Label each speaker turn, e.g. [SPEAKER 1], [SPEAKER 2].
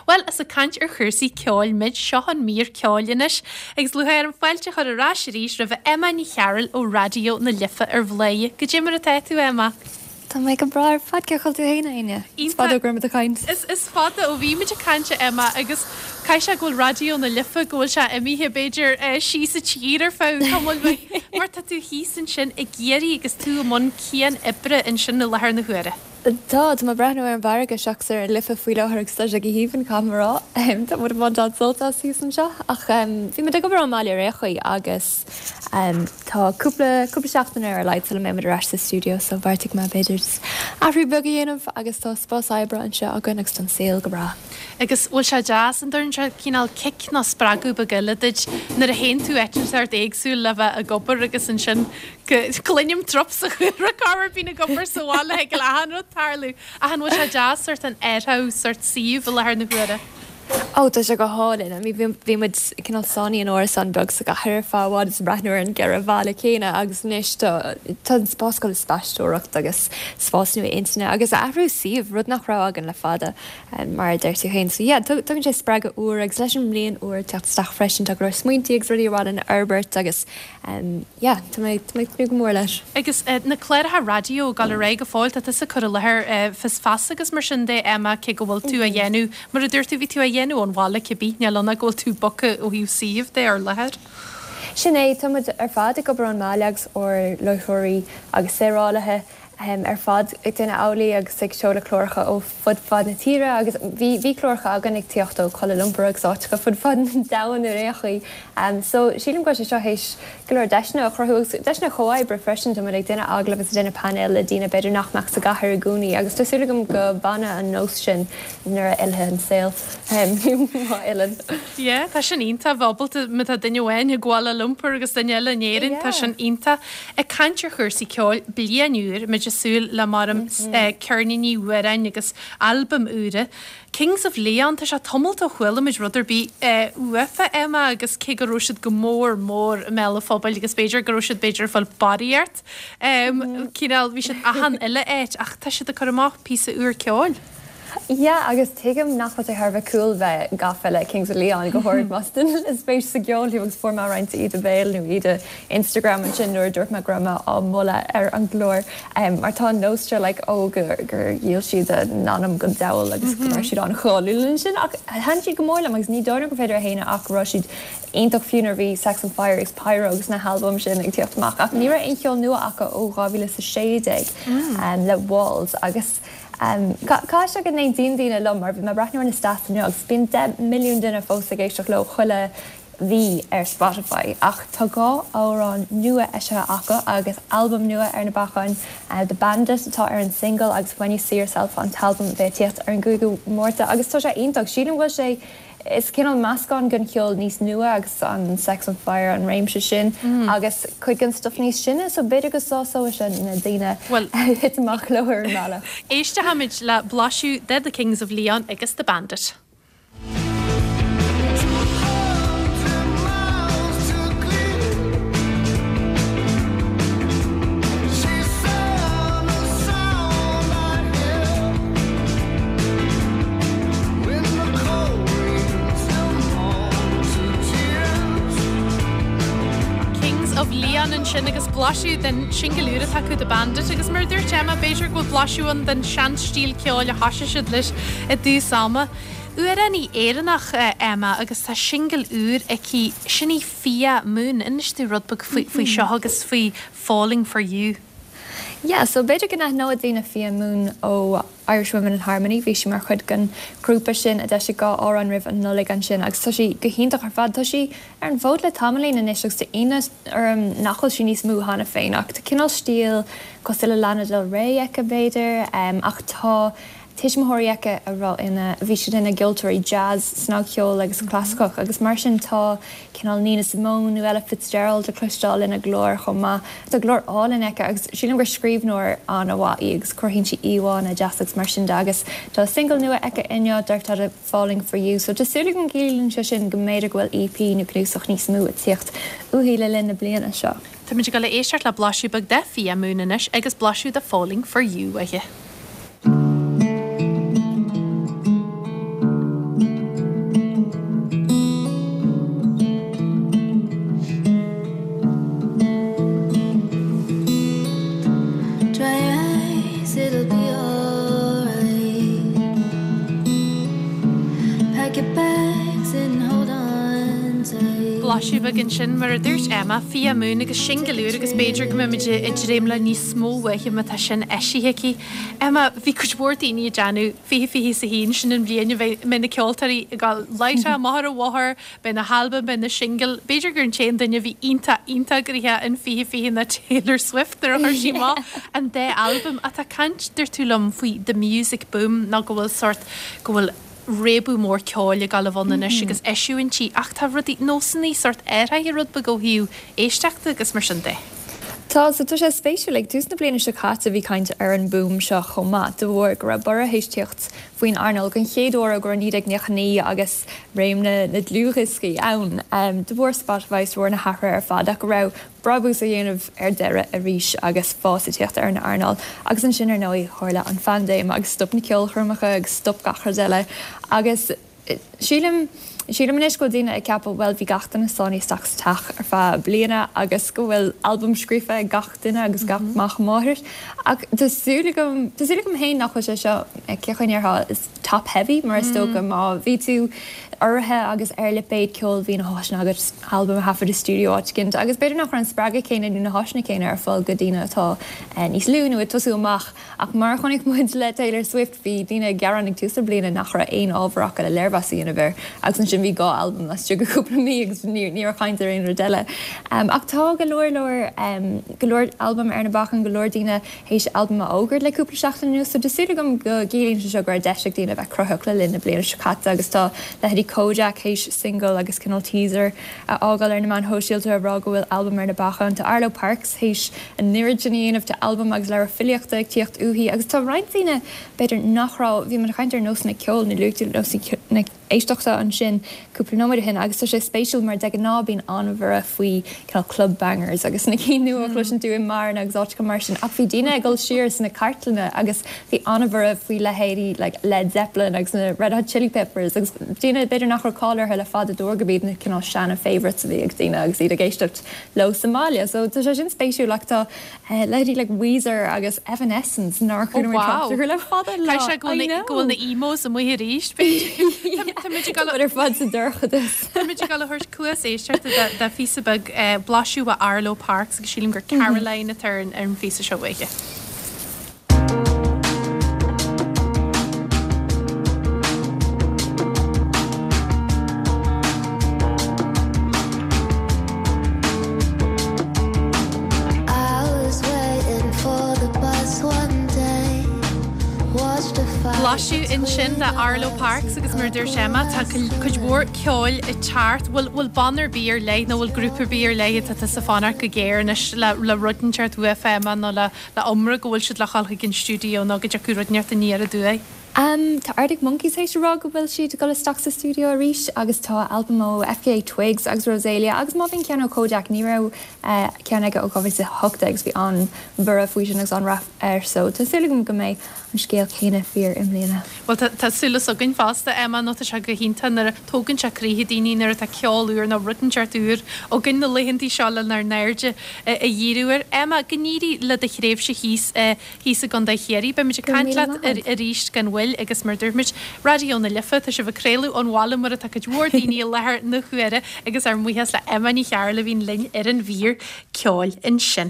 [SPEAKER 1] Bhuel, is ag caint ar chúrsaí ceoil muid, seo an mír ceoil anois, agus lúcháir orm fáilte a chur ar ais arís roimh Emma Ní Chearúil ó Raidió na Life ar Bhladhaire. Goidé mar atá tú, Emma?
[SPEAKER 2] Tá mé go breá ar fad, cén chaoi a bhfuil tú fhéin, a Áine? Is fada ó go raibh muid ag caint.
[SPEAKER 1] Is fada ó bhí muid ag caint, a Emma, agus caithfidh sé go bhfuil Raidió na Life, go bhfuil sé imithe, b'fhéidir, síos an tír ar feadh tamaill bhig, mar tá tú thíos ansin i gCiarraí agus tú i mbun cian-oibre ansin i láthair na huaire.
[SPEAKER 2] Tá, tá mé ag breathnú ar an bhfarraige seachas ar an Life faoi láthair agus tá sé go haoibhinn, caithfidh mé a rá. Tá muid ag baint an-sult as thíos anseo ach bhí muid ag obair ón mbaile ar aon chaoi agus tá cúpla, cúpla seachtain ar a laghad sula mbeidh muid ar ais sa stiúideo so bheartaigh mé b'fhéidir just athrú beag a dhéanamh agus tá spás oibre anseo againn agus tá an saol go breá.
[SPEAKER 1] Agus bhfuil sé deas, an dtugann sé cineál cic nó spreagadh beag eile duit nuair a théann tú áit inteacht éagsúil le bheith ag obair agus ansin Cluinim trup sa chúlra corruair bíonn ag obair sa bhaile thig le achan rud tarlú. Ach an bhfuil sé deas sort an athrú sort suíomh i láthair na huaire?
[SPEAKER 2] Ó tá sé go hálainn. I mean bhí muid cineál sáinnithe in árasán beag sa gcathair ar feadh i bhfad is ag breathnú ar an gceithre bhalla céanna agus anois tá tá an spás go le spaisteoireacht agus spás nua intinne agus athrú suímh, rud nach raibh againn le fada mar a deir tú féin. So yeah, tugann sé spreagadh úr agus leis an mbliain úr ag teacht isteach freisin tá go leor smaointí agus rudaí ar mhaith linn a fhorbairt agus Yeah, tá mé ag tnúth go mór leis.
[SPEAKER 1] Agus na cláracha raidió ag dul ar aghaidh go fóill, tá tusa ag cur i láthair Fios Feasa agus mar sin de, Emma, cé go bhfuil tú á dhéanamh, mar a dúirt tú, bhí tú á dhéanamh ón bhaile cibé, níl ann ach go bhfuil tú bogtha ó thaobh suímh de ar láthair.
[SPEAKER 2] Sin é, tá muid ar fad ag obair ón mbaile agus ár láithreoirí agus saorálaithe. ar fad ag déanamh amhlaidh agus ag seoladh cláracha ó fud fad na tíre agus bhí bhí cláracha againn ag tíocht ó Kuala Lumpur agus áiteacha fud fad an domhain ar aon chaoi. So sílim go bhfuil sé seo théis go leor deiseanna a chruthú agus deiseanna comhoibre freisin. Tá muid ag déanamh agallamh agus ag déanamh painéil le daoine b'fhéidir nach mbeadh sa gcathair i gcónaí agus tá súil agam go bhfanfaidh an nós sin nuair a fhillfidh an saol má fhilleann.
[SPEAKER 1] Yeah, tá sin iontach, bheith ábalta, má tá duine amháin i gKuala Lumpur agus duine eile in Éirinn, tá sin iontach. Ag caint ar chúrsaí ceoil, bliain úr, muid ag súil le maram ceirníní amhráin agus albaim úra. Kings of Leon, tá sé tamalt ó chuala muid rud ar bith uafa, Emma, agus cé go raibh siad go mór mór i mbéal an phobail agus b'fhéidir go raibh siad b'fhéidir ag fáil barraíocht, cineál, bhí siad achan uile áit ach tá siad ag cur amach píosa úr ceoil.
[SPEAKER 2] Yeah agus tuigim nach bhfuil sé thar a bheith cool bheith gafa le Kings of Leon, go háirid más duine le spéis sa gceol thú agus fuair mé roinnt íde béil nó íde Instagram ansin nuair a dúirt mé go raibh mé á moladh ar an gclár mar tá an nós seo like oh gur dhíol siad a n-anam don diabhal agus go raibh siad an-cháiliúil ansin ach thaitin siad go mór liom agus ní dóigh liom gur féidir a shéanadh ach go raibh siad iontach fiú nuair a bhí Sex on Fire agus Pyro agus na halbaim sin ag tíocht amach ach ní raibh aon cheol nua acu ó 2016 le Walls agus Caithfidh sé go n-aontaíonn daoine liom mar bhí mé ag breathnú ar na stats inniu agus bíonn 10 milliún duine fós ag éisteacht leo chuile mhí ar Spotify ach tá 2 amhrán nua eisithe acu agus albam nua ar na bacáin, The Bandit atá ar an single agus When You See Yourself an t-albam a bheidh ag tíocht ar an gcúigiú Márta agus tá sé iontach. Sílim go bhfuil sé Is cineál meascán den cheol níos nua agus an Sex on Fire, an réimse sin, agus cuid den stuif níos sine, so b'fhéidir go sásóidh sé na daoine a thit amach leo ar an mbealach.
[SPEAKER 1] Éistfimid le blaiseadh de The Kings of Leon agus The Bandit. Kings of Leon ansin agus blaiseadh den singil úr atá acu The Bandit agus mar a dúirt Emma b'fhéidir go bhfuil blaiseadh ann den seanstíl ceoil a thoisigh siad leis i dtús ama. Amhránaí Éireannach Emma agus tá singil úr aici, sin í Fia Moon. Inis dúinn rud beag faoi seo agus faoi Falling For You.
[SPEAKER 2] Yeah, so b'fhéidir go n-aithneoidh daoine Fia Moon ó Irish Women in Harmony, bhí sí mar chuid den ghrúpa sin a d'eisigh 2 amhrán roimh an Nollaig ansin agus tá sí go hiontach ar fad. Tá sí ar an bhfód le tamaillín anois agus tá ionadh orm nach bhfuil sí níos mó cheana féin ach tá cineál stíl cosúil le Lana Del Rey aici b'fhéidir ach tá tuismitheoirí aici a raibh ina, bhí siad ina gceoltóirí jazz, snagcheol agus clasaiceach agus mar sin tá cineál Nina Simone nó Ella Fitzgerald le cloisteáil ina glór chomh maith. Tá glór álainn aici agus sílim gur scríbhneoir an-mhaith í agus cruthaíonn sí íomhánna deasa agus mar sin de agus tá singil nua aici inniu darb teideal Falling For You so tá súil agam go gciallaíonn sé sin go mb'fhéidir go bhfuil EP nó cnuasach níos mó ag tíocht uaithi le linn na bliana seo.
[SPEAKER 1] Táimid ag dul a éisteacht le blaiseadh beag de Fia Moon anois agus blaiseadh de Falling For You uaithi. Pack your bags and hold on tight. Blaiseadh beag ansin, mar a dúirt Emma, Fia Moon agus singil úr agus b'fhéidir go mbeimid ag dréim le níos mó uaithi má tá sin eisithe aici. Emma, bhí cuid mhór daoine ag déanamh 2021, sin an bhliain a mbeidh na ceoltóirí ag dul láithreach amach ar an bhóthar, Beidh na halbaim, beidh na singil, b'fhéidir gur an t-aon duine a bhí iontach, iontach gnoitheach in 2020 ná Taylor Swift nuair a chuir sí amach an dá albam. Ach tá caint, dúirt tú liom, faoi the music boom nó go bhfuil sórt, go bhfuil réabadh mór ceoil ag dul a bheith ann anois agus eisiúintí ach tá rudaí, nósanna sórt athraithe rud beag ó thaobh éisteachta agus mar sin de.
[SPEAKER 2] Tá, so tá sé spéisiúil, ag tús na bliana seo caite bhí caint ar an boom seo chomh maith, de bharr go raibh borradh théis tíocht faoin earnáil den chéad uair ó go raibh 1999 agus réim na ndlúthdhioscaí ann, de bharr Spotify is de bharr na hathruithe ar fad ach go raibh brabús á dhéanamh ar deireadh arís agus fás ag tíocht ar an earnáil. Agus ansin ar ndóigh tharla an phaindéim agus stop na ceolchoirmeacha agus stop gach rud eile agus Sílim, sílim anois go bhfuil daoine ag ceapadh, bhuel bhí gach duine sáinnithe isteach sa teach ar feadh bliana agus go bhfuil albam scríofa ag gach duine agus gach mac máthar. Ach tá súil agam, tá súil agam féin nach bhfuil sé seo, cén chaoi a ndéarfá, is top heavy mar is dócha má bhí tú urraithe agus ar lipéad ceoil bhí na háiseanna agat albam a thaifead i stiúideo áit éicint agus b'fhéidir nach raibh an spreagadh céanna nó na háiseanna céanna ar fáil go daoine atá níos lú nó ag tosú amach. Ach mar a chonaic muid le Taylor Swift, bhí daoine ag gearán ag tús na bliana nach raibh aon ábhar acu le léirmheas a dhéanamh air agus ansin bhí 2 albam laistigh de chúpla mí agus ní raibh caint ar aon rud eile. Ach tá go leor leor, go leor albam ar na bacáin, go leor daoine théis albam a fhógairt le cúpla seachtain anuas so tá súil agam go gciallaíonn sé seo go raibh deis ag daoine a bheith cruthaitheach le linn na bliana seo caite agus tá leithéidí Kojaque théis single agus cineál teaser a fhágáil ar na meáin shóisialta ag rá go bhfuil albam ar na bacáin. Tá Arlo Parks théis an oiread sin a dhéanamh, tá albam agus leabhar filíochta ag tíocht uaithi agus tá roinnt daoine, b'fhéidir, nach raibh, bhí muid ag caint ar nósanna ceoil nó luaigh tú nósanna éisteachta ansin cúpla nóiméad ó shin agus tá sé spéisiúil mar de ghnáth bíonn an-bhorradh faoi cineál club bangers agus na cinn nua a chloiseann tú i mbeáranna agus áiteacha mar sin ach bhí daoine ag dul siar sna cartlanna agus Bhí an-bhorradh faoi leithéidí like Led Zeppelin agus na Red Hot Chili Peppers agus daoine b'fhéidir nach raibh cáil orthu le fada de bharr gurb iad na cineál seana favourites a bhí ag daoine agus iad ag éisteacht leo sa mbaile. So tá sé sin spéisiúil ach tá leithéidí like Weezer agus Evanescence nár
[SPEAKER 1] Oh chuala muid trácht wow! orthu le fada an lá. Caithfidh sé go bhfuil I na, go bhfuil na know! emos amuigh arís b'fhéidir. Tá muid ag dul a.
[SPEAKER 2] Ar fad sa dorchadas.
[SPEAKER 1] Tá muid ag dul a thabhairt cluas éisteachta do, do phíosa beag blaiseadh ó Arlo Parks agus sílim gur Caroline atá ar an, ar an phíosa seo uaithi. Blaiseadh ansin de Arlo Parks agus mar a dúirt Emma, tá cuid mhór ceoil ag teacht. Bhfuil bhfuil banna ar bith ar leith nó bhfuil grúpa ar bith ar leith atá tusa ag fanacht go géar anois le le rud inteacht uafa Emma nó le le iomrá go bhfuil siad le dhul chuig an stiúideo nó go dtiocfaidh rud inteacht aniar aduaidh.
[SPEAKER 2] Tá Arctic Monkeys théis a rá go bhfuil siad ag dul isteach sa stiúideo arís agus tá albam ó FKA Twigs agus Rosalia agus má bhíonn ceann ó Kojaque, ní raibh ceann aige ó 2018 agus bhí an-bhorradh faoi sin agus an-rath air so tá súil agam go mbeidh an scéal céanna fíor i mbliana.
[SPEAKER 1] Bhuel tá súil againn fosta, Emma, nó tá sé go hiontach nuair a tógann sé croíthe daoine nuair atá ceol úr nó rud inteacht úr againn na laethantaí seo lenár n-airde a dhíriú air. Emma, go n-éirí le do thréimhse thíos thíos i gContae Chiarraí. Beimid ag caint leat arís gan mhoill agus mar a dúirt muid, Raidió na Life, tá sibh ag craoladh ón bhaile mar atá cuid mhór daoine i láthair na huaire agus ár mbuíochas le Emma Ní Chearúil a bhíonn linn ar an mhír ceoil ansin.